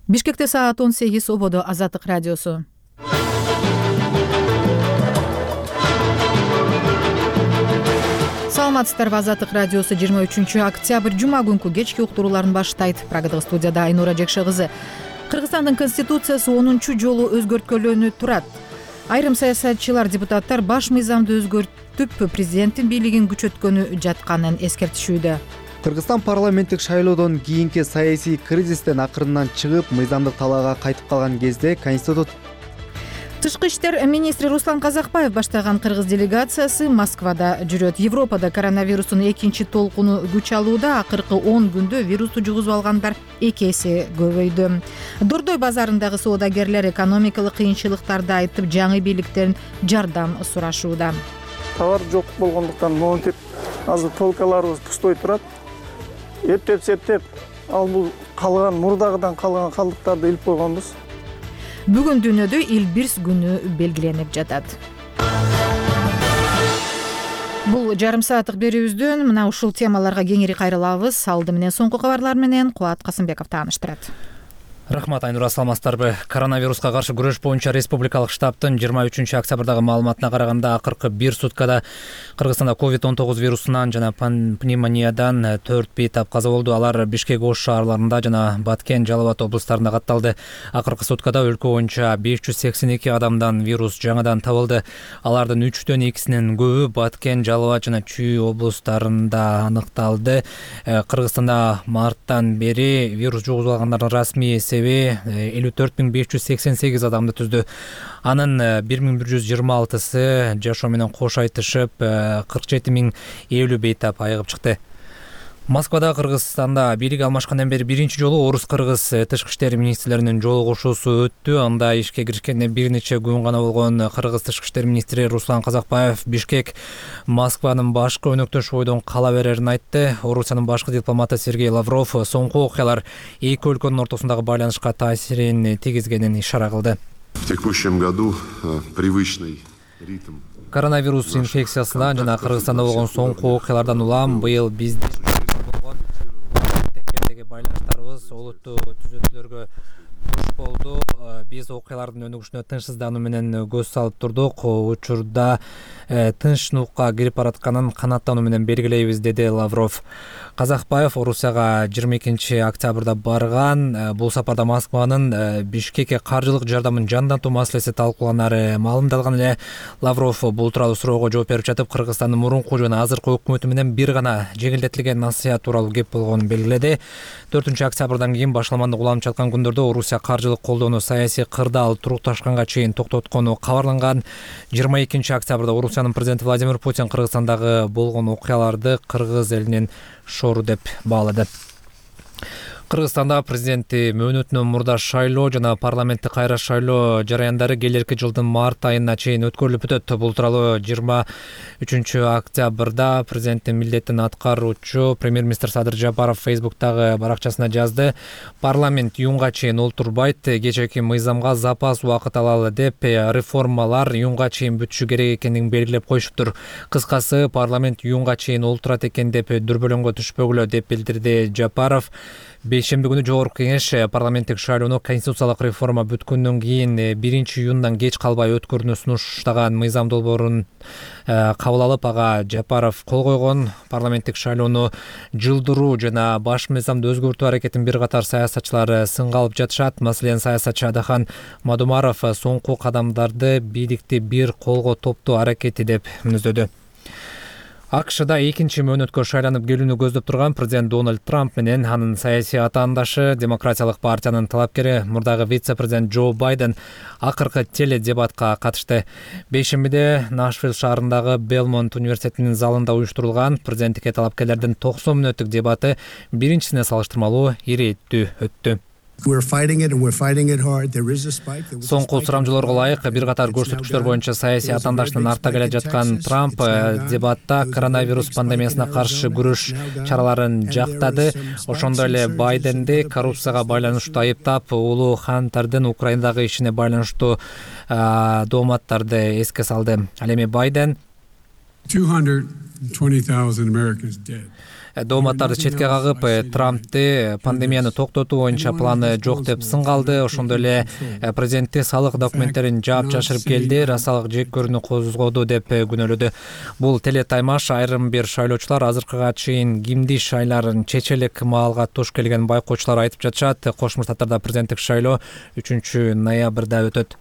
Бишкекте саат 18, ободо Азаттык радиосу. Саламатсыздарбы, Азаттык радиосу 23 октябрь жума күнкү кечки уктурууларын баштайт. Прагадагы студияда Айнура Жекше кызы. Кыргызстандын конституциясы 10 жолу өзгөрткөлөнүп турат. Айрым саясатчылар, депутаттар баш мыйзамды өзгөртүп, президенттин бийлигин күчөткөнү жатканын эскертишүүдө. Кыргызстан парламенттик шайлоодон кийинки саясий кризистен акырындан чыгып, мыйзамдык талаага кайтып калган кезде Тышкы иштер министри Руслан Казакбаев баштаган кыргыз делегациясы Москвада жүрөт. Европада коронавирустун экинчи толкуну күч алууда. Акыркы 10 күндө вирусту жугузуп алгандар 2 эсе көбөйдү. Дордой базарындагы соодагерлер экономикалык кыйынчылыктарды айтып, жаңы бийликтен жардам сурашууда. Товар жок болгондуктан монтип азыр полкаларыбыз пустой турат. Эптеп, ал бул калган мурдагыдан калган калдыктарды илип койгонбуз. Бүгүн дүйнөдө Элбирс күнү белгиленип жатат. Бул жарым сааттык берүүбүздөн мына ушул темаларга кеңири кайрылабыз. Алды менен соңку кабарлар менен Кубат Касымбеков тааныштырат. Рахмат, Айнура, саламатсыздарбы. Коронавируска каршы күрөш боюнча республикалык штабтын 23 октябрдагы маалыматына караганда, акыркы 1 суткада Кыргызстанда COVID-19 вирусунан жана пневмониядан 4 бейтап каза болду. Алар Бишкек, Ош шаарларында жана Баткен, Жалал Абад облустарында катталды. Акыркы суткада өлкө боюнча 582 адамдан вирус жаңадан табылды. Алардын 3дөн 2синин көбү Баткен, Жалал Абад жана Чүй облустарында аныкталды. Кыргызстанда марттан бери вирус жугузуп алгандардын расмий 54.588 адамды түздү. Анын 1126сы жашоо менен кош айтышып, 47.050 бейтап айыгып чыкты. Москвада Кыргызстанда бийлик алмашкандан бери биринчи жолу орус-кыргыз тышкы иштер министрлеринин жолугушуусу өттү. Анда ишке киришкенде бир нече күн гана болгон Кыргыз тышкы иштер министри Руслан Казакбаев Бишкек Москванын башкы өнөктөш бойдон кала берерин айтты. Орусиянын башкы дипломаты Сергей Лавров соңку окуялар эки өлкөнүн ортосундагы байланышка таасирин тийгизгенин ишара кылды. В текущем году привычный ритм Коронавирус инфекциясынан жана Кыргызстанда болгон соңку окуялардан улам быйыл биздин байланыштарыбыз олуттуу түзөтүүлөргө туш болду. Биз окуялардын өнүгүшүнө тынчсыздануу менен көз салып турдук. Учурда тынчсыздыкка кирип баратканын канааттануу менен белгилейбиз, деди Лавров. Казакбаев Орусияга 22 октябрда барган. Бул сапарда Москванын Бишкекке каржылык жардамын жандантуу маселеси талкууланары маалымдалган эле. Лавров бул тууралуу суроого жооп берип жатып, Кыргызстандын мурунку жана азыркы өкмөтү менен бир гана жеңилдетилген насыят тууралуу кеп болгонун белгиледи. 4 октябрдан кийин башаламандык уланып жаткан күндөрдө Орусия каржылык колдоону саясий кырдаал турукташканга чейин токтоткону кабарланган. 22 октябрда Орусиянын президенти Владимир Путин Кыргызстандагы болгон окуяларды кыргыз элинин шору деп баалады. Кыргызстанда президенти мөөнөтүнөн мурда шайлоо жана парламенттик кайра шайлоо жараяндары келерки жылдын март айына чейин өткөрүлүп өтөт. Бул тууралуу 23 октябрда президенттин милдетин аткаруучу премьер-министр Садыр Жапаров Фейсбуктагы баракчасына жазды. Парламент июнга чейин олтурбайт, кечээки мыйзамга запас убакыт алалы деп, реформалар июнга чейин бүтүшү керек экендигин белгилеп коюшуптур. Кыскасы, парламент июнга чейин олтурат экен деп дүрбөлөңгө түшпөгүлө деп билдирди Жапаров. Бейшемби күнү жогорку кеңеш парламенттик шайлоону конституциялык реформа бүткөндөн кийин 1 июндан кеч калбай өткөрүүнү сунуштаган мыйзам долбоорун кабыл алып, ага Жапаров кол койгон. Парламенттик шайлоону жылдыруу жана баш мыйзамды өзгөртүү аракетин бир катар саясатчылар сынга алып жатышат. Маселен, саясатчы Адахан Мадумаров соңку кадамдарды бийликти бир колго топтоо аракети деп мүнөздөдү. АКШда экинчи мөөнөткө шайланып келүүнү көздөп турган президент Дональд Трамп менен анын саясий атаандашы Демократиялык партиянын талапкери мурдагы вице-президент Джо Байден акыркы теледебатка катышты. Бейшембиде Нашвилл шаарындагы Белмонт университетинин залында уюштурулган президенттикке талапкерлердин 90 мүнөттүк дебаты биринчисине салыштырмалуу ирээттүү өттү. Соңку сурамжылоорго ылайык бир катар көрсөткүчтөр боюнча саясий атаандаштын артта келе жаткан Трамп дебатта коронавирус пандемиясына каршы күрөш чараларын жактады. Ошондой эле Байденди коррупцияга байланыштуу айыптап, улуу Хантардын Украинадагы ишине байланыштуу дооматтарды эске салды. Ал эми Байден дооматтарды четке кагып, Трампты пандемияны токтотуу боюнча планы жок деп сынгалды. Ошондой эле президентти салык документтерин жаап жашырып келди, расалык жеккөрүүнү козгоду деп күнөөлөдү. Бул телетаймаш айрым бир шайлоочулар азыркыга чейин кимди шайларын чече элек маалга туш келген байкоочулар айтып жатышат. Кошмо Штаттарда президенттик шайлоо 3-ноябрда өтөт.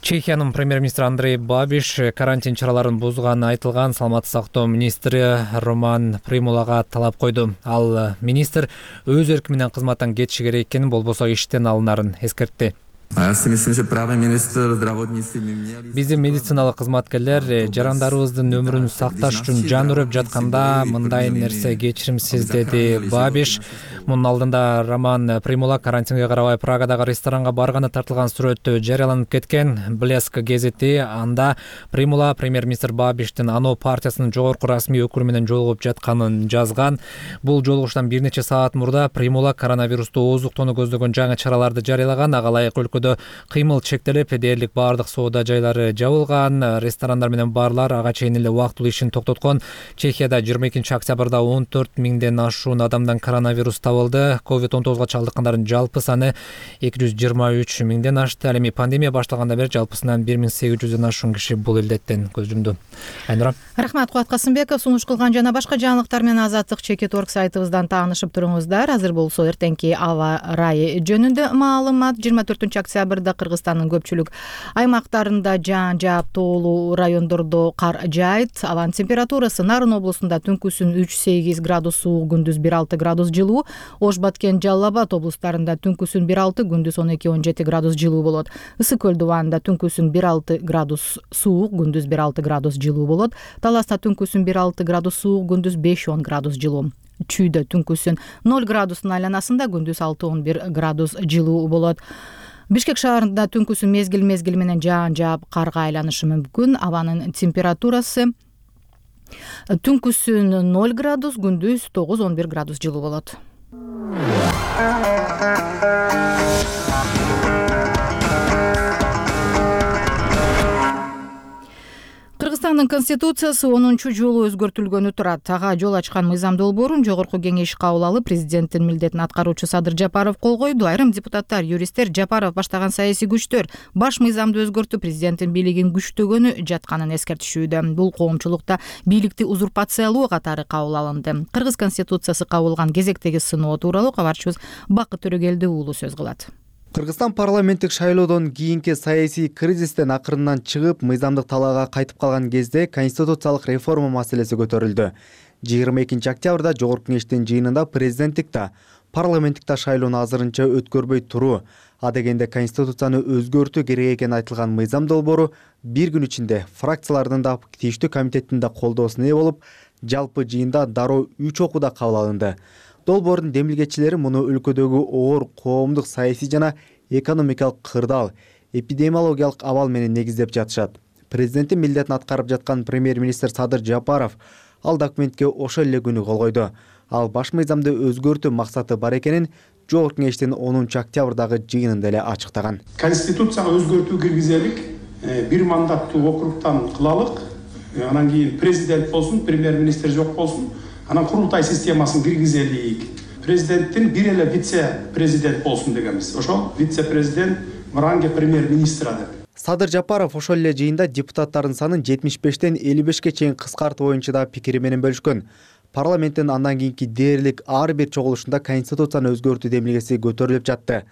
Чехиянын премьер-министри Андрей Бабиш карантин чараларын бузганы айтылган саламаттык сактоо министри Роман Примулага талап койду. Ал министр өз эрки менен кызматтан кетиши керек экенин, болбосо иштен алынарын эскертти. Биздин медициналык кызматкерлер жарандарыбыздын өмүрүн сакташ үчүн жан үрөп жатканда мындай нерсе кечиримсиз, деди Бабиш. Мунун алдында Роман Примула карантинге карабай Прагадагы ресторанга барганы тартылган сүрөт жарыяланып кеткен. Блеск гезити анда Примула премьер-министр Бабиштин ано партиясынын жогорку расмий өкүлү менен жолугуп жатканын жазган. Бул жолугуштан бир нече саат мурда Примула коронавирусту ооздуктоону көздөгөн жаңы чараларды жарыялаган. Ага ылайык өлкөдө кыймыл чектелип, дээрлик баардык соода жайлары жабылган, ресторандар менен барлар ага чейин эле убактылуу ишин токтоткон. Чехияда 22-октябрда 14 миңден ашуун адамдан коронавирус табылды. COVID-19 чалдыккандардын жалпы саны 223 миңден ашты. Ал эми пандемия башталгандан бери жалпысынан 1800дөн ашуун киши бул илдеттен көз жумду. Айнура. Рахмат, Кубат Касымбеков. Сунуш кылган жана башка жаңылыктар менен Азаттык Чекит.org сайтыбыздан таанышып туруңуздар. Азыр болсо эртеңки аба ырайы жөнүндө маалымат. 24-октябрда Кыргызстандын көпчүлүк аймактарында жаан жаап, тоолуу райондордо кар жаайт. Абанын температурасы Нарын облусунда түнкүсүн 3-8 градус суук, күндүз 1-6 градус жылуу. Ош, Баткен, Жалал Абад облустарында түнкүсүн 1-6, күндүз 12-17 градус жылуу болот. Ысык көл дубанында түнкүсүн 1-6 градус суук, күндүз 1-6 градус жылуу болот. Таласта түнкүсүн 1-6 градус суук, күндүз 5-10 градус жылуу. Чүйдө түнкүсүн 0 градустун айланасында, күндүз 6-11 градус жылуу болот. Бишкек шаарында түнкүсүн мезгил менен жаан жаап, карга айланышы мүмкүн. Абанын температурасы түнкүсүн 0 градус, күндүз 9-11 градус жылуу болот. Кыргызстандын конституциясы 10-жолу өзгөртүлгөнү турат. Ага жол ачкан мыйзам долбоорун жогорку кеңеш кабыл алып, президенттин милдетин аткаруучу Садыр Жапаров кол койду. Айрым депутаттар, юристтер Жапаров баштаган саясий күчтөр баш мыйзамды өзгөртүп, президенттин бийлигин күчтөгөнү жатканын эскертишүүдө. Бул коомчулукта бийликти узурпациялоо катары кабыл алынды. Кыргыз конституциясы кабылган кезектеги сыноо тууралуу кабарчыбыз Бакыт Төрөгелди уулу сөз кылат. Кыргызстан парламенттик шайлоодон кийинки саясий кризистен акырындан чыгып, мыйзамдык талаага кайтып калган кезде конституциялык реформа маселеси көтөрүлдү. 22-октябрда жогорку кеңештин жыйынында президенттик да, парламенттик да шайлоону азырынча өткөрбөй туруу, адегенде конституцияны өзгөртүү керек экени айтылган мыйзам долбоору бир күн ичинде фракциялардын да, тийиштүү комитеттин да колдоосуна ээ болуп, жалпы жыйында дароо 3 окууда кабыл алынды. Долбоордун демилгечилери муну өлкөдөгү оор коомдук, саясий жана экономикалык кырдаал, эпидемиологиялык абал менен негиздеп жатышат. Президенттин милдетин аткарып жаткан премьер-министр Садыр Жапаров ал документке ошол эле күнү кол койду. Ал баш мыйзамды өзгөртүү максаты бар экенин жогорку кеңештин 10-октябрдагы жыйынында эле ачыктаган. Конституцияга өзгөртүү киргизелик, бир мандаттуу округтан кылалык, анан кийин президент болсун, премьер-министр жок болсун. Анан курултай системасын киргизелик. Президенттин бир эле вице-президент болсун дегенбиз. Ошол вице-президент мыранге премьер-министра деп. Садыр Жапаров ошол эле жыйында депутаттардын санын 75тен 55ке чейин кыскартуу боюнча да пикири менен бөлүшкөн. Парламенттин андан кийинки дээрлик ар бир чогулушунда конституцияны өзгөртүү демилгеси көтөрүлүп жатты.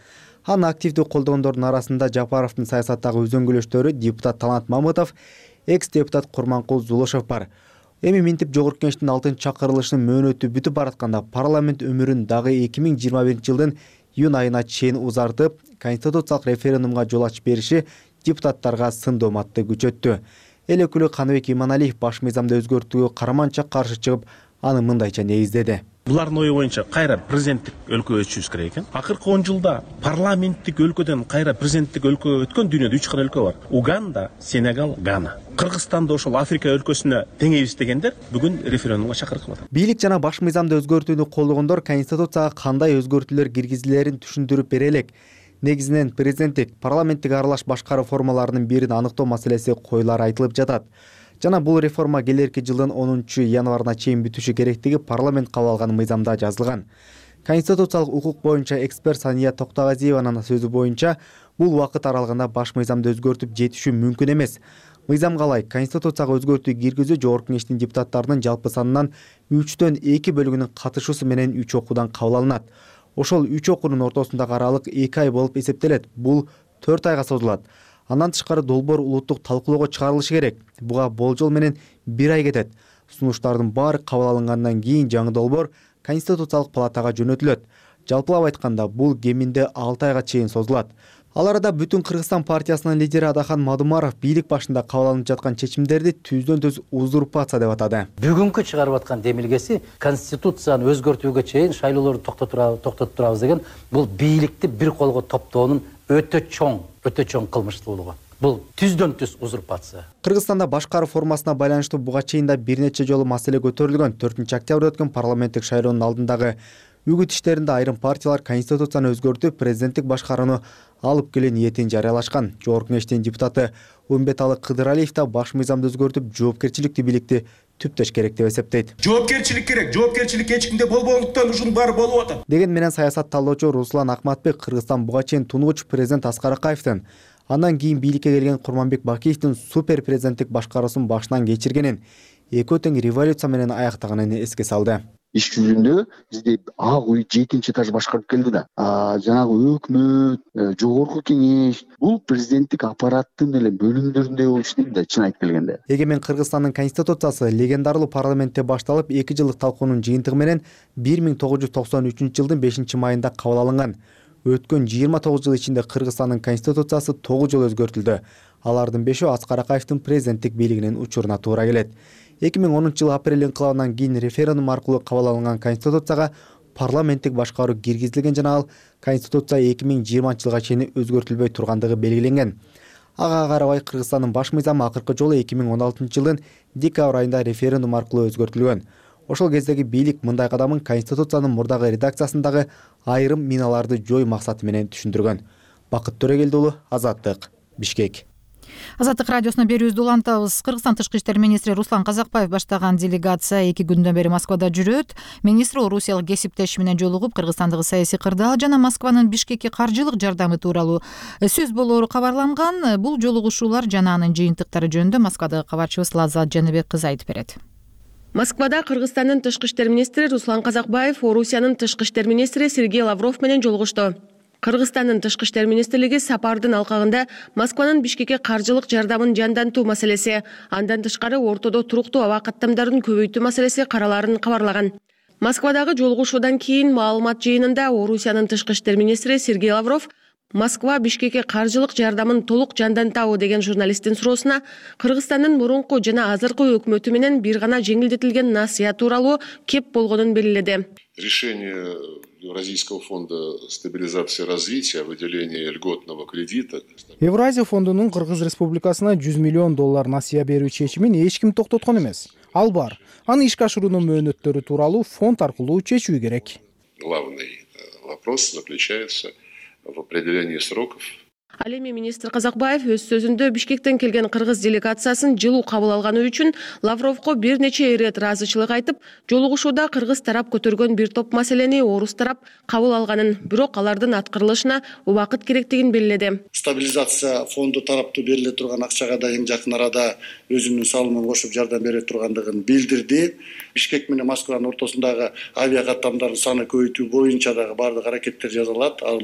Аны активдүү колдогондордун арасында Жапаровдун саясаттагы үзөңгүлөштөрү депутат Талант Мамытов, экс-депутат Курманкул Зулушев бар. Эми минтип жогорку кеңештин 6-чакырылышынын мөөнөтү бүтүп баратканда парламент өмүрүн дагы 2021-жылдын июнь айына чейин узартып, конституциялык референдумга жол ачып бериши депутаттарга сын дооматты күчөттү. Эл өкүлү Каныбек Иманалиев баш мыйзамды өзгөртүүгө карманча каршы чыгып, аны мындайча негиздеди. Булардын ою боюнча кайра президенттик өлкөгө өтүшүбүз керек экен. Акыркы 10 жылда парламенттик өлкөдөн кайра президенттик өлкөгө өткөн дүйнөдө 3 гана өлкө бар. Уганда, Сенегал, Гана. Кыргызстанда ошол Африка өлкөсүнө теңейбиз дегендер бүгүн референдумга чакырып атат. Бийлик жана баш мыйзамды өзгөртүүнү колдогондор конституцияга кандай өзгөртүүлөр киргизилерин түшүндүрүп бере элек. Негизинен президенттик, парламенттик аралаш башкаруу формаларынын бирин аныктоо маселеси коюлары айтылып жатат. жана бул реформа келерки жылдын 10-январына чейин бүтүшү керектиги парламент кабыл алган мыйзамда жазылган. Конституциялык укук боюнча эксперт Сания Токтогазиеванын сөзү боюнча, бул убакыт аралыгында баш мыйзамды өзгөртүп жетишүү мүмкүн эмес. Мыйзамга ылайык Конституцияга өзгөртүү киргизүү Жогорку Кеңештин депутаттарынын жалпы санынан 3/2 бөлүгүнүн катышуусу менен 3 окуудан кабыл алынат. Ошол 3 окуунун ортосундагы аралык 2 ай болуп эсептелет. Бул 4 айга созулат. Андан тышкары долбоор улуттук талкуулоого чыгарылышы керек. Буга болжол менен 1 ай кетет. Сунуштардын баары кабыл алынгандан кийин жаңы долбоор Конституциялык палатага жөнөтүлөт. Жалпылап айтканда, бул кеминде 6 айга чейин созулат. Ал арада Бүтүн Кыргызстан партиясынын лидери Адахан Мадумаров бийлик башында кабыл алынып жаткан чечимдерди түздөн-түз узурпация деп атады. Бүгүнкү чыгарып аткан демилгеси Конституцияны өзгөртүүгө чейин шайлоолорду токтотуп турабыз деген бул бийликти бир колго топтоонун өтө чоң кылмыштуулугу. Бул түздөн-түз узурпация. Кыргызстанда башкаруу формасына байланыштуу буга чейин да бир нече жолу маселе көтөрүлгөн. 4-октябрда өткөн парламенттик шайлоонун алдындагы үгүт иштеринде айрым партиялар Конституцияны өзгөртүп, президенттик башкарууну алып келүү ниетин жарыялашкан. Жогорку Кеңештин депутаты Умбеталы Кыдыралиев да баш мыйзамды өзгөртүп, жоопкерчиликтүү бийликти түптөш керек деп эсептейт. Жоопкерчилик керек. Жоопкерчилик эч кимде болбогондуктан ушунун баары болуп атат. Деген менен саясат талдоочу Руслан Акматбек Кыргызстан буга чейин тунугуч президент Аскар Акаевдин, андан кийин бийликке келген Курманбек Бакиевдин супер президенттик башкаруусун башынан кечиргенин, экөө тең революция менен аяктаганын эске салды. Иш жүзүндө бизде ак үй 7-этаж башкарып келди да. Жанагы өкмөт, Жогорку Кеңеш бул президенттик аппараттын эле бөлүмдөрүндөй болуп иштейт да, чын айтып келгенде. Эгемен Кыргызстандын конституциясы легендарлуу парламентте башталып, 2 жылдык талкуунун жыйынтыгы менен 1993-жылдын 5-майында кабыл алынган. Өткөн 29 жыл ичинде Кыргызстандын конституциясы 9 жолу өзгөртүлдү. Алардын 5-өө Аскар Акаевдин президенттик бийлигинин учуруна туура келет. 2010-жылы апрель инкылабынан кийин референдум аркылуу кабыл алынган конституцияга парламенттик башкаруу киргизилген жана ал конституция 2020-жылга чейин өзгөртүлбөй тургандыгы белгиленген. Ага карабай Кыргызстандын баш мыйзамы акыркы жолу 2016-жылдын декабрь айында референдум аркылуу өзгөртүлгөн. Ошол кездеги бийлик мындай кадамын конституциянын мурдагы редакциясындагы айрым миналарды жой максаты менен түшүндүргөн. Бакыт Төрөгелди уулу, Азаттык, Бишкек. Азаттык радиосуна берүүбүздү улантабыз. Кыргызстан тышкы иштер министри Руслан Казакбаев баштаган делегация 2 күндөн бери Москвада жүрөт. Министр орусиялык кесиптеши менен жолугуп, Кыргызстандагы саясий кырдаал жана Москванын Бишкекке каржылык жардамы тууралуу сөз болоору кабарланган. Бул жолугушуулар жана анын жыйынтыктары жөнүндө Москвадагы кабарчыбыз Лаззат Жаныбек кызы айтып берет. Москвада Кыргызстандын тышкы иштер министри Руслан Казакбаев Орусиянын тышкы иштер министри Сергей Лавров менен жолугушту. Кыргызстандын тышкы иштер министрлиги сапардын алкагында Москванын Бишкекке каржылык жардамын жандантуу маселеси, андан тышкары ортодо туруктуу аба каттамдарын көбөйтүү маселеси караларын кабарлаган. Москвадагы жолугушуудан кийин маалымат жыйынында Орусиянын тышкы иштер министри Сергей Лавров Москва Бишкекке каржылык жардамын толук жандантабы деген журналисттин суроосуна Кыргызстандын мурунку жана азыркы өкмөтү менен бир гана жеңилдетилген насыя тууралуу кеп болгонун белгиледи. Решение Евразийского фонда стабилизации и развития о выделении льготного кредита. Евразия фондунун Кыргыз Республикасына $100 миллион насыя берүү чечимин эч ким токтоткон эмес. Ал бар. Аны ишке ашыруунун мөөнөттөрү тууралуу фонд аркылуу чечүү керек. Главный вопрос заключается в определении сроков. Ал эми министр Казакбаев өз сөзүндө Бишкектен келген кыргыз делегациясын жылуу кабыл алганы үчүн Лавровго бир нече ирет ыраазычылык айтып, жолугушууда кыргыз тарап көтөргөн бир топ маселени орус тарап кабыл алганын, бирок алардын аткарылышына убакыт керектигин белгиледи. Стабилизация фонду тараптуу бериле турган акчага да эң жакын арада өзүнүн салымын кошуп жардам бере тургандыгын билдирди. Бишкек менен Москванын ортосундагы авиа каттамдардын саны көбөйтүү боюнча дагы бардык аракеттер жасалат. Ал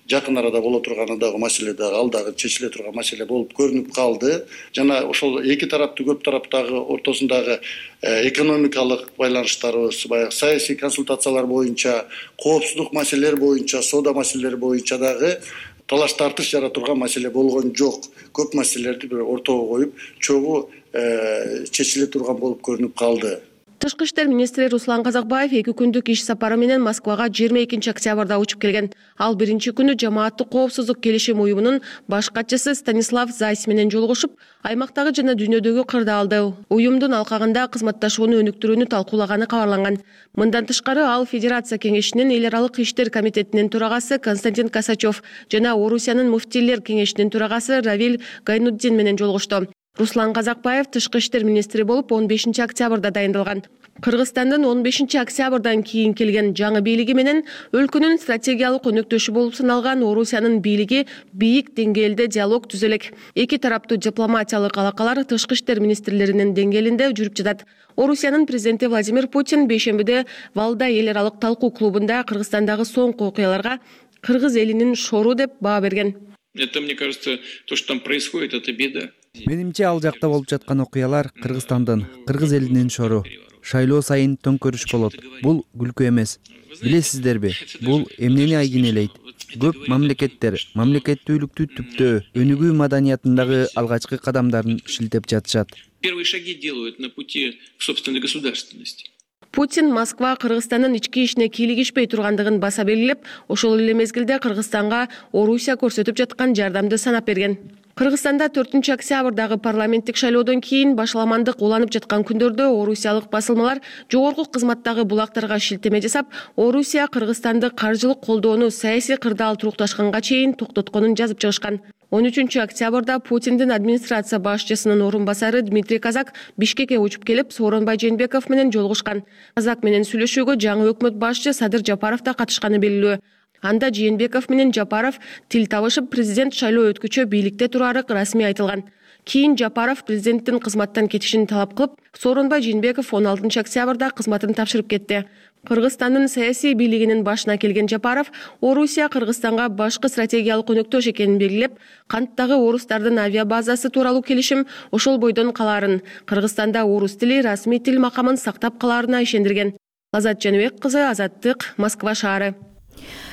жакын арада боло турганы дагы маселе ал дагы чечиле турган маселе болуп көрүнүп калды. Жана ошол эки тараптуу көп тараптагы ортосундагы экономикалык байланыштарыбыз, баягы саясий консультациялар боюнча, коопсуздук маселелер боюнча, соода маселелери боюнча дагы талаш тартыш жара турган маселе болгон жок. Көп маселелерди бир ортого коюп, чогуу чечиле турган болуп көрүнүп калды. Тышкы иштер министри Руслан Казакбаев 2 күндүк иш сапары менен Москвага 22 октябрда учуп келген. Ал биринчи күнү жамааттык коопсуздук келишим уюмунун баш катчысы Станислав Зайс менен жолугушуп, аймактагы жана дүйнөдөгү кырдаалды, уюмдун алкагында кызматташууну өнүктүрүүнү талкуулаганы кабарланган. Мындан тышкары ал Федерация кеңешинин эл аралык иштер комитетинин төрагасы Константин Косачев жана Орусиянын муфтийлер кеңешинин төрагасы Равиль Гайнуддин менен жолугушту. Руслан Казакбаев тышкы иштер министри болуп 15 октябрда дайындалган. Кыргызстандын 15 октябрдан кийин келген жаңы бийлиги менен өлкөнүн стратегиялык өнөктөшү болуп саналган Орусиянын бийлиги бийик деңгээлде диалог түзөлөк. Эки тараптуу дипломатиялык алакалар тышкы иштер министрлеринин деңгээлинде жүрүп жатат. Орусиянын президенти Владимир Путин бейшембиде Валдай эл аралык талкуу клубунда Кыргызстандагы соңку окуяларга кыргыз элинин шору деп баа берген. Это, мне кажется, то, что там происходит, это беда. Менимче ал жакта болуп жаткан окуялар Кыргызстандын, кыргыз элинин шору. Шайлоо сайын төңкөрүш болот. Бул күлкү эмес. Билесиздерби, бул эмнени айгинелейт? Көп мамлекеттүүлүктү түптөө, өнүгүү маданиятындагы алгачкы кадамдарын шилтеп жатышат. Первые шаги делают на пути к собственной государственности. Путин Москва Кыргызстандын ички ишине кийлигишпей тургандыгын баса белгилеп, ошол эле мезгилде Кыргызстанга Орусия көрсөтүп жаткан жардамды санап берген. Кыргызстанда 4 октябрдагы парламенттик шайлоодон кийин башаламандык уланып жаткан күндөрдө орусиялык басылмалар жогорку кызматтагы булактарга шилтеме жасап, Орусия Кыргызстанды каржылык колдоону саясий кырдаал турукташканга чейин токтотконун жазып чыгышкан. 13 октябрда Путиндин администрация башчысынын орун басары Дмитрий Казак Бишкекке учуп келип, Сооронбай Жээнбеков менен жолугушкан. Казак менен сүйлөшүүгө жаңы өкмөт башчы Садыр Жапаров да катышканы белгилүү. Анда Жээнбеков менен Жапаров тил табышып, президент шайлоо өткүчө бийликте турары расмий айтылган. Кийин Жапаров президенттин кызматтан кетишин талап кылып, Сооронбай Жээнбеков 16 октябрда кызматын тапшырып кетти. Кыргызстандын саясий бийлигинин башына келген Жапаров Орусия Кыргызстанга башкы стратегиялык өнөктөш экенин белгилеп, канттагы орустардын авиабазасы тууралуу келишим ошол бойдон калаарын, Кыргызстанда орус тили расмий тил макамын сактап калаарына ишендирген. Азат Жаныбек кызы, Азаттык, Москва шаары.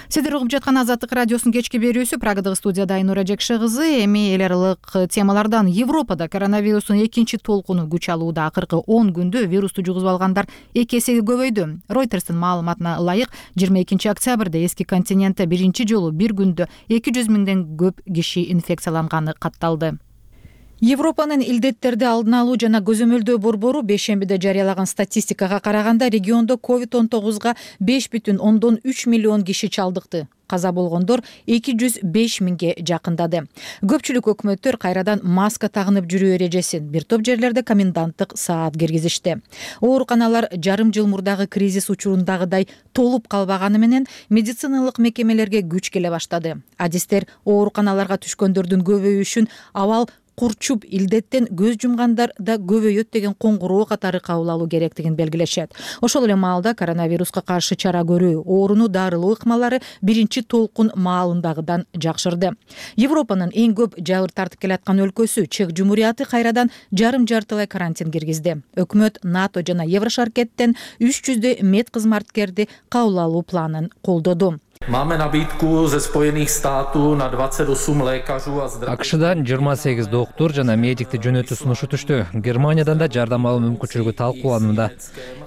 Сиздер угуп жаткан Азаттык радиосунун кечки берүүсү. Прагадагы студияда Айнура Жекше кызы. Эми эл аралык темалардан Европада коронавирустун экинчи толкуну күч алууда. Акыркы 10 күндө вирусту жугузуп алгандар 2 эсеге көбөйдү. Ройтерстин маалыматына ылайык 22 октябрда эски континентте биринчи жолу бир күндө 200 миңден көп киши инфекцияланганы катталды. Европанын илдеттерди алдын алуу жана көзөмөлдөө борбору бейшембиде жарыялаган статистикага караганда региондо COVID-19 5,3 миллион киши чалдыкты. Каза болгондор 205 миңге жакындады. Көпчүлүк өкмөттөр кайрадан маска тагынып жүрүү эрежесин, бир топ жерлерде коменданттык саат киргизишти. Ооруканалар жарым жыл мурдагы кризис учурундагыдай толуп калбаганы менен медициналык мекемелерге күч келе баштады. Адистер ооруканаларга түшкөндөрдүн көбөйүшүн абал курчуп илдеттен көз жумгандар да көбөйөт деген коңгуроо катары кабыл алуу керектигин белгилешет. Ошол эле маалда коронавируска каршы чара көрүү, ооруну дарылоо ыкмалары биринчи толкун маалындагыдан жакшырды. Европанын эң көп жабыр тартып келаткан өлкөсү Чех Жумурияты кайрадан жарым-жартылай карантин киргизди. Өкмөт НАТО жана Еврошаркеттен 300 медкызматкерди кабыл алуу планын колдоду. Máme nabídku ze Spojených států na 28 lékařů a zdravotníků. Акшдан 28 доктор жана медикти жөнөтүү сунушу түштү. Германиядан да жардам алуу мүмкүнчүлүгү талкууланууда.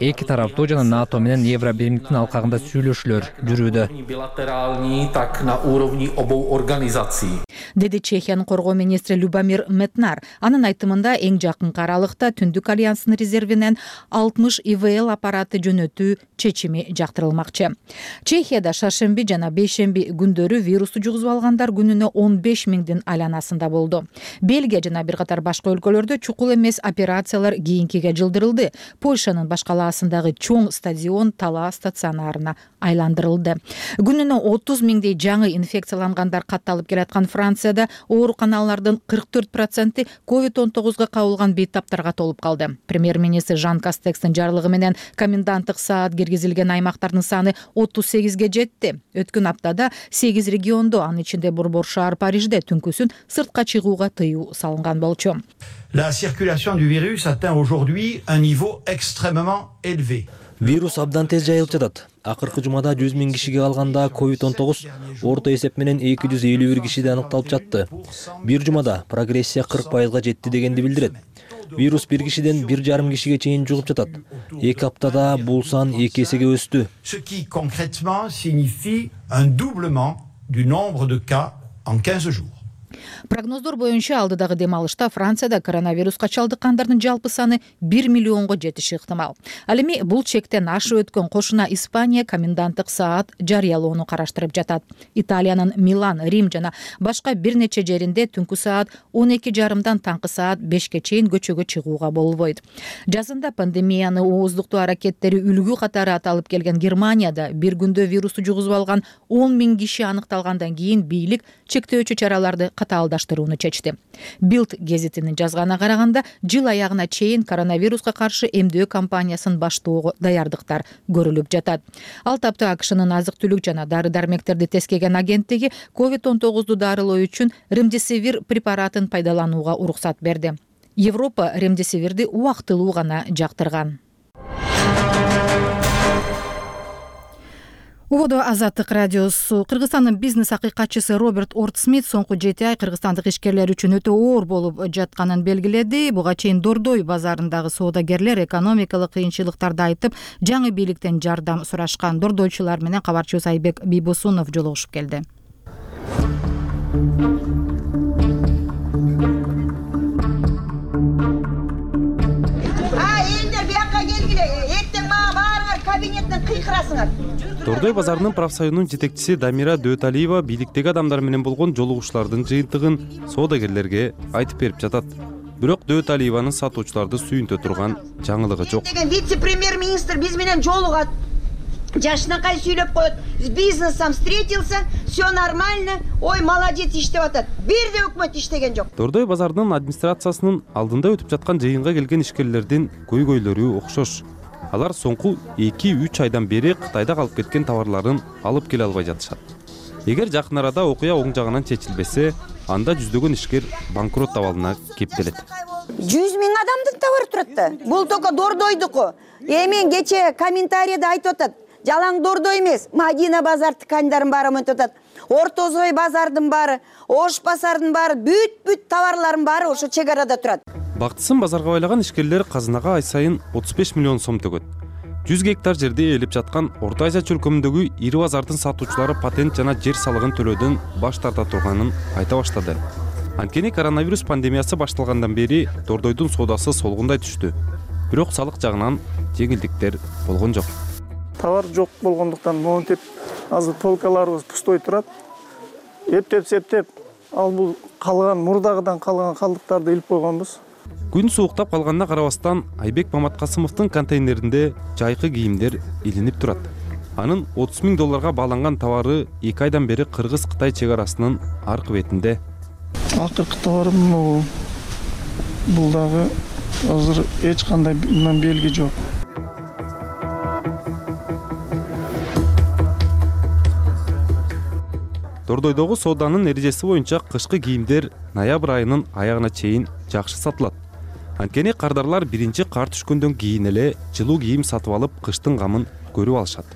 Эки тараптуу жана НАТО менен Евробиримдин алкагында сүйлөшүүлөр жүрүүдө. Bilaterální, tak na úrovni obou organizací. Деди Чехиянын коргоо министри Любомир Метнар. Анын айтымында эң жакынкы аралыкта Түндүк альянстын резервинен 60 ИВЛ аппараты жөнөтүү чечими жактырылмакчы. Чехияда шаршемби жана бейшемби күндөрү вирусту жугузуп алгандар күнүнө 15 миңдин айланасында болду. Бельгия жана бир катар башка өлкөлөрдө чукул эмес операциялар кийинкиге жылдырылды. Польшанын баш калаасындагы чоң стадион талаа стационарына айландырылды. Күнүнө 30 миңдей жаңы инфекциялангандар катталып келаткан Францияда ооруканалардын 44% COVID-19 кабылган бейтаптарга толуп калды. Премьер-министр Жан Кастекстин жарлыгы менен коменданттык саат киргизилген аймактардын саны 38ге жетти. Өткөн аптада 8 региондо, анын ичинде борбор шаар Парижде түнкүсүн сыртка чыгууга тыюу салынган болчу. La circulation du virus atteint aujourd'hui un niveau extrêmement élevé. Вирус абдан тез жайылып жатат. Акыркы жумада 100 миң кишиге калганда COVID-19 орто эсеп менен 251 кишиде аныкталып жатты. Бир жумада прогрессия 40%га жетти дегенди билдирет. Вирус бир кишиден 1,5 кишиге чейин жугуп жатат. 2 аптада бул сан 2 эсеге өстү. Ce qui concrètement signifie un doublement du nombre de cas en 15 jours. Прогноздор боюнча алдыдагы дем алышта Францияда коронавируска чалдыккандардын жалпы саны 1 миллионго жетиши ыктымал. Ал эми бул чектен ашып өткөн кошуна Испания коменданттык саат жарыялоону караштырып жатат. Италиянын Милан, Рим жана башка бир нече жеринде түнкү саат 12:30 таңкы саат 5 чейин көчөгө чыгууга болбойт. Жазында пандемияны ооздуктоо аракеттери үлгү катары аталып келген Германияда бир күндө вирусту жугузуп алган 10 000 киши аныкталгандан кийин бийлик чектөөчү чараларды катаалдаштырууну чечти. Bild гезитинин жазганына караганда, жыл аягына чейин коронавируска каршы эмдөө кампаниясын баштоого даярдыктар көрүлүп жатат. Ал тапта АКШнын азык-түлүк жана дары-дармектерди тескеген агенттиги COVID-19 дарылоо үчүн ремдесивир препаратын пайдаланууга уруксат берди. Европа ремдесивирди убактылуу гана жактырган. Убодо Азаттык радиосу. Кыргызстандын бизнес акыйкатчысы Роберт Ортсмит соңку 7 ай кыргызстандык ишкерлер үчүн өтө оор болуп жатканын белгиледи. Буга чейин Дордой базарындагы соодагерлер экономикалык кыйынчылыктарды айтып, жаңы бийликтен жардам сурашкан. Дордойчулар менен кабарчыбыз Айбек Бийбосунов жолугушуп келди. Элдер бияка келгиле, эртең мага баарыңар кабинеттен кыйкырасыңар. Дордой базарынын профсоюзунун жетекчиси Дамира Дөталиева бийликтеги адамдар менен болгон жолугушуулардын жыйынтыгын соодагерлерге айтып берип жатат. Бирок Дөталиеванын сатуучуларды сүйүнтө турган жаңылыгы жок. Вице-премьер-министр биз менен жолугат. Жашынакай сүйлөп коет. С бизнесом встретился, все нормально. Ой, молодец иштеп атат. Бир да өкмөт иштеген жок. Дордой базарынын администрациясынын алдында өтүп жаткан жыйынга келген ишкерлердин көйгөйлөрү окшош. Алар соңку 2-3 айдан бери Кытайда калып кеткен товарларын алып келе албай жатышат. Эгер жакын арада окуя оң жагынан чечилбесе, анда жүздөгөн ишкер банкрот абалына кептелет. 100 000 адамдын товары турат да. Бул только Дордойдуку. Мен кече комментарийде айтып атат. Жалаң Дордой эмес, Мадина базар тканьдарын баары өтүп атат. Ортозой базардын баары, Ош базардын баары, бүт товарлардын баары ошо чек арада турат. Бактысын базарга байлаган ишкерлер казынага ай сайын 35 миллион сом төгөт. 100 гектар жерде ээлеп жаткан Орто Азия чөлкөмүндөгү ири базардын сатуучулары патент жана жер салыгын төлөөдөн баш тарта турганын айта баштады. Анткени коронавирус пандемиясы башталгандан бери Дордойдун соодасы солгундай түштү. Бирок салык жагынан жеңилдиктер болгон жок. Товар жок болгондуктан монтип азыр полкаларыбыз пустой турат. Эптеп, ал бул калган мурдагыдан калган калдыктарды илип койгонбуз. Күн сууктап калганына карабастан Айбек Маматкасымовдун контейнеринде жайкы кийимдер илинип турат. Анын 30 000 долларга бааланган товары 2 айдан бери Кыргыз-Кытай чек арасынын аркы бетинде. Акыркы товарым бул дагы азыр эч кандай белги жок. Дордойдогу сооданын эрежеси боюнча кышкы кийимдер ноябрь айынын аягына чейин жакшы сатылат. Анткени кардарлар биринчи кар түшкөндөн кийин эле жылуу кийим сатып алып, кыштын камын көрүп алышат.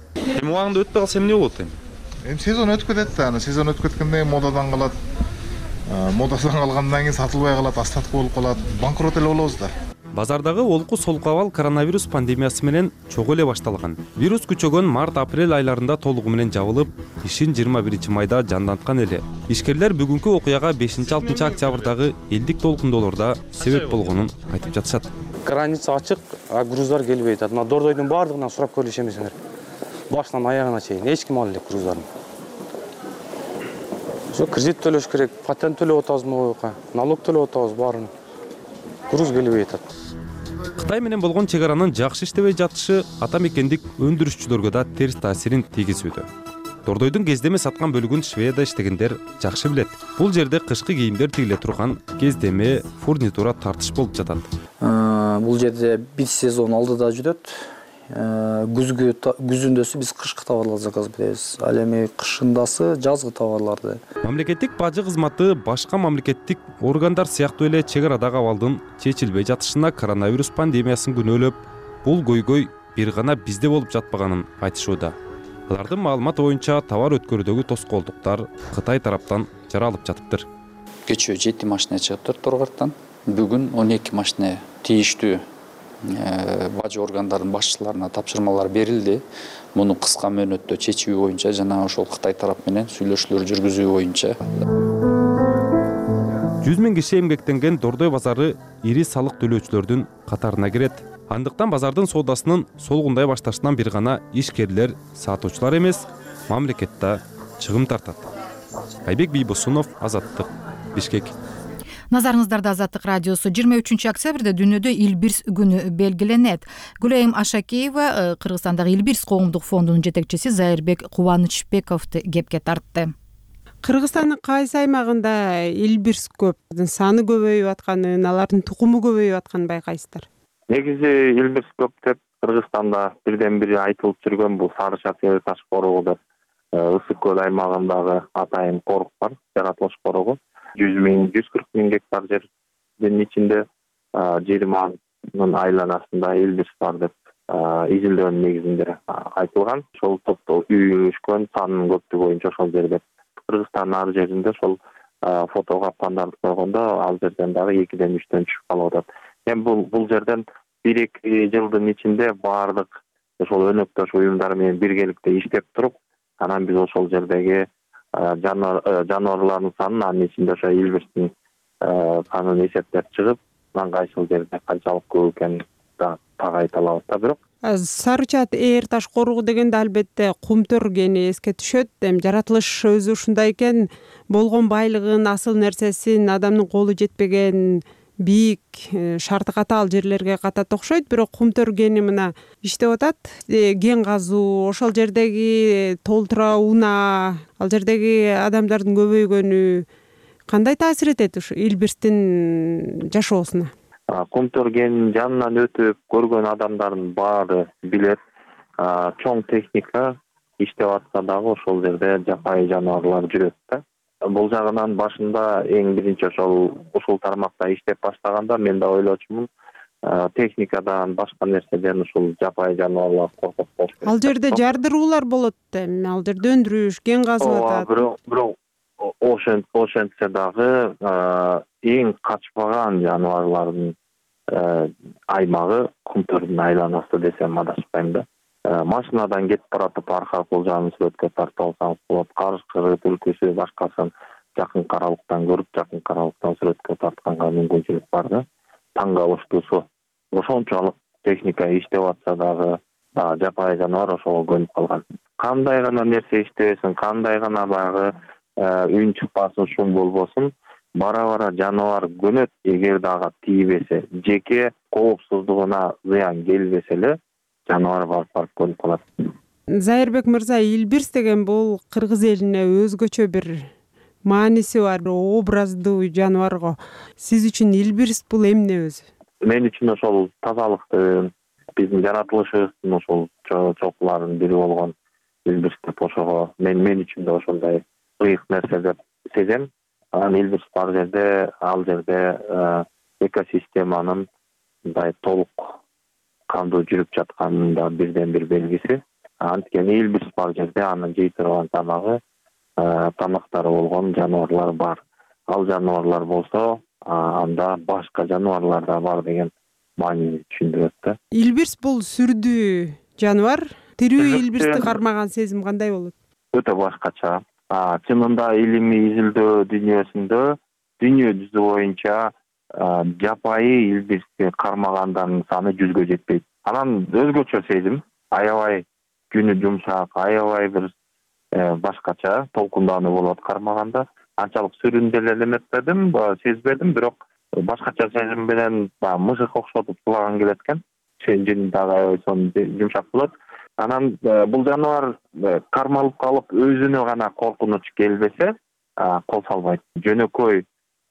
Убагында өтпөй калса эмне болот эми? Сезон өтүп кетет да, сезон өтүп кеткенде модадан калат. Модадан калгандан кийин сатылбай калат, остаток болуп калат. Банкрот эле болобуз да. Базардагы олку солку абал коронавирус пандемиясы менен чогуу эле башталган. Вирус күчөгөн март-апрель айларында толугу менен жабылып, ишин 21 майда жанданткан эле. Ишкерлер бүгүнкү окуяга 5-6 октябрдагы элдик толкундоолордо себеп болгонун айтып жатышат. Граница ачык, груздар келбейт. Мына Дордойдун баардыгынан сурап көрүш эмесиңер. Башынан аягына чейин эч ким ала элек груздарын. Ошо кредит төлөш керек, патент төлөп атабызбы, налог төлөп атабыз баарын. Груз келбей атат. Кытай менен болгон чек аранын жакшы иштебей жатышы ата мекендик өндүрүшчүлөргө да терс таасирин тийгизүүдө. Дордойдун кездеме саткан бөлүгүн Шведияда иштегендер жакшы билет. Бул жерде кышкы кийимдер тигиле турган кездеме, фурнитура тартыш болуп жатат. Бул жерде бир сезон алдыда жүрөт. Күзүндөсү биз кышкы товарларды заказ беребиз. Ал эми кышындасы жазгы товарларды. Мамлекеттик бажы кызматы башка мамлекеттик органдар сыяктуу эле чек арадагы абалдын чечилбей жатышына коронавирус пандемиясын күнөөлөп, бул көйгөй бир гана бизде болуп жатпаганын айтышууда. Алардын маалыматы боюнча товар өткөрүүдөгү тоскоолдуктар Кытай тараптан жаралып жатыптыр. Кечээ 7 машина чыгыптыр Торгорттан. Бүгүн 12 машина тийиштүү бажы органдарынын башчыларына тапшырмалар берилди. Муну кыска мөөнөттө чечүү боюнча жана ошол Кытай тарап менен сүйлөшүүлөр жүргүзүү боюнча. 100 000 киши эмгектенген Дордой базары ири салык төлөөчүлөрдүн катарына кирет. Андыктан базардын соодасынын солгундай башташынан бир гана ишкерлер, сатуучулар эмес, мамлекет да чыгым тартат. Айбек Бийбосунов, Азаттык, Бишкек. Назарыңыздарда Азаттык радиосу. 23 октябрда дүйнөдө Илбирс күнү белгиленет. Гүлайым Ашакеева Кыргызстандагы Илбирс коомдук фондунун жетекчиси Зайырбек Кубанычбековду кепке тартты. Кыргызстандын кайсы аймагында Илбирс көп, саны көбөйүп атканын, алардын тукуму көбөйүп атканын байкайсыздар? Негизи Илбирс көп деп Кыргызстанда бирден бири айтылып жүргөн бул Сары Шаар таш корогу деп Ысык көл аймагындагы атайын корок бар, жаратылыш корогу. 140 000 гектар жердин ичинде 20 айланасында Илбирс бар деп изилдөөнүн негизинде айтылган. Ошол топто үй өскөн санынын көптүгү боюнча ошол жерде Кыргызстандын ар жеринде ошол фотого пандарды койгондо ал жерден дагы 2-ден 3-төн түшүп калып атат. Эми бул жерден 1-2 жылдын ичинде баардык ошол өнөктөш уюмдар менен биргеликте иштеп туруп, анан биз ошол жердеги жаныбарлардын санын, анын ичинде ошо Илбирстин санын эсептеп чыгып, анан кайсыл жерде канчалык көп экенин так айта алабыз да. Бирок Сарычат ээр таш корогу дегенде албетте кумтөр кени эске түшөт. Эми жаратылыш өзү ушундай экен, болгон байлыгын, асыл нерсесин, адамдын колу жетпеген бийик, шарты катаал жерлерге катат окшойт, бирок кумтөр кени мына иштеп атат. Кен казуу, ошол жердеги толтура унаа, ал жердеги адамдардын көбөйгөнү кандай таасир этет ушу Илбирстин жашоосуна? Кумтөр кенинин жанынан өтүп көргөн адамдардын баары билет. Чоң техника иштеп атса дагы ошол жерде жапайы жаныбарлар жүрөт да. Бул жагынан башында эң биринчи ушул тармакта иштеп баштаганда мен да ойлочумун, техникадан башка нерседен ушул жапайы жаныбарлар коркуп болуш керек. Ал жерде жардыруулар болот эми, ал жерде өндүрүш, кен казып атат. Бирок ошентсе дагы эң качпаган жаныбарлардын аймагы кумтөрдүн айланасы десем адашпайм да. Машинадан кетип баратып арка кулжанын сүрөткө тартып алсаңыз болот. Карышкыры, түлкүсү, башкасын жакын каралыктан көрүп, жакын каралыктан сүрөткө тартканга мүмкүнчүлүк бар да. Таң калыштуусу ошончолук техника иштеп атса дагы жапайы жаныбар ошого көнүп калган. Кандай гана нерсе иштебесин, кандай гана баягы үн чыкпасын, шум болбосун, бара жаныбар көнөт. Эгер дагы тийбесе, жеке коопсуздугуна зыян келбесе эле жаныбар барып көнүп калат. Зайырбек мырза, Илбирс деген бул кыргыз элине өзгөчө бир мааниси бар, образдуу жаныбарго. Сиз үчүн Илбирс бул эмне өзү? Мен үчүн ошол тазалыктын, биздин жаратылышыбыздын ошол чокуларынын бири болгон Илбирс деп ошого мен үчүн да ошондой ыйык нерсе деп сезем. Анан Илбирс бар жерде, ал жерде экосистеманын мындай толук кандуу жүрүп жатканын да бирден бир белгиси. Анткени Илбирс бар жерде анын жей турган тамагы, тамактары болгон жаныбарлар бар. Ал жаныбарлар болсо, анда башка жаныбарлар да бар деген маанини түшүндүрөт да. Илбирс бул сүрдүү жаныбар. Тирүү Илбирсти кармаган сезим кандай болот? Өтө башкача. Чынында илимий изилдөө дүйнөсүндө дүйнө жүзү боюнча жапайы Илбирсти кармагандардын саны 100гө жетпейт. Анан өзгөчө сезим, аябай күнү жумшак, аябай бир башкача толкундануу болот кармаганда. Анчалык сүрүндүрө эметпедим, сезбедим, бирок башкача сезим менен мышык окшотуп сулаган келет экен. Жин дагы аябай жумшак болот. Анан бул жаныбар кармалып калып өзүнө гана коркунуч келбесе, кол салбайт. Жөнөкөй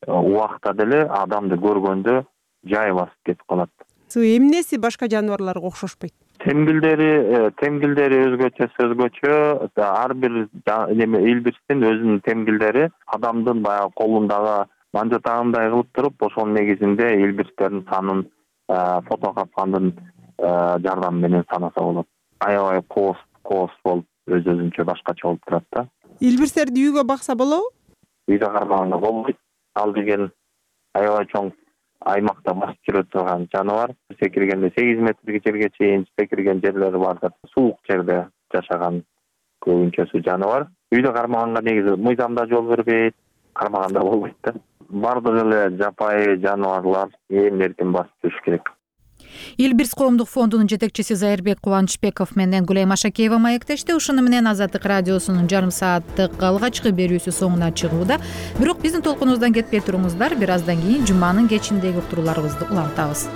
убакта деле адамды көргөндө жай басып кетип калат. Эмнеси башка жаныбарларга окшошпойт? Темгилдери өзгөчө. Ар бир Илбирстин өзүнүн темгилдери адамдын баягы колундагы манжатагындай кылып туруп, ошонун негизинде Илбирстердин санын фото капкандын жардамы менен санаса болот. Аябай коос болуп, өзүнчө башкача болуп турат да. Илбирстерди үйгө бакса болобу? Үйдө кармаганда болбойт. Ал деген аябай чоң аймакта басып жүрө турган жаныбар. Секиргенде 8 метрге жерге чейин секирген жерлери бар деп, суук жерде жашаган көбүнчөсү жаныбар. Үйдө кармаганга негизи мыйзам да жол бербейт, кармаганда болбойт да. баардык эле жапайы жаныбарлар эмин-эркин басып жүрүш керек. Илбирс коомдук фондунун жетекчиси Зайырбек Кубанычбеков менен Гүлайым Ашакеева маектешти. Ушуну менен Азаттык радиосунун жарым сааттык алгачкы берүүсү соңуна чыгууда. Бирок биздин толкунубуздан кетпей туруңуздар. Бир аздан кийин жуманын кечиндеги уктурууларыбызды улантабыз.